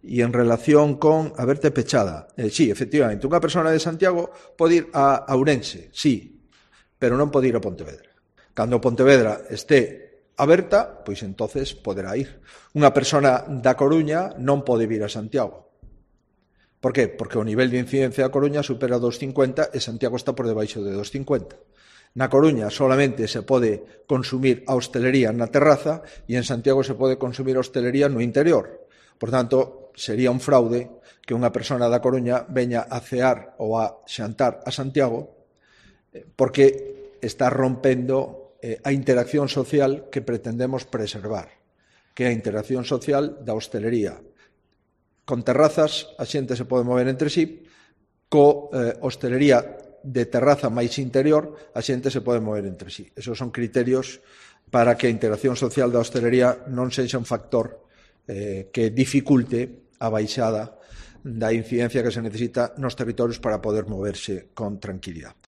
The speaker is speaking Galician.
E en relación con a verte pechada, sí, efectivamente, unha persona de Santiago pode ir a Ourense, sí, pero non pode ir a Pontevedra. Cando Pontevedra este aberta, pois entonces poderá ir. Unha persona da Coruña non pode vir a Santiago. Por qué? Porque o nivel de incidencia da Coruña supera 2,50 e Santiago está por debaixo de 2,50. Na Coruña solamente se pode consumir a hostelería na terraza e en Santiago se pode consumir a hostelería no interior. Por tanto, sería un fraude que unha persona da Coruña veña a cear ou a xantar a Santiago porque está rompendo a interacción social que pretendemos preservar, que é a interacción social da hostelería. Con terrazas a xente se pode mover entre sí, co hostelería de terraza máis interior a xente se pode mover entre sí. Esos son criterios para que a interacción social da hostelería non sexa un factor que dificulte a baixada da incidencia que se necesita nos territorios para poder moverse con tranquilidade.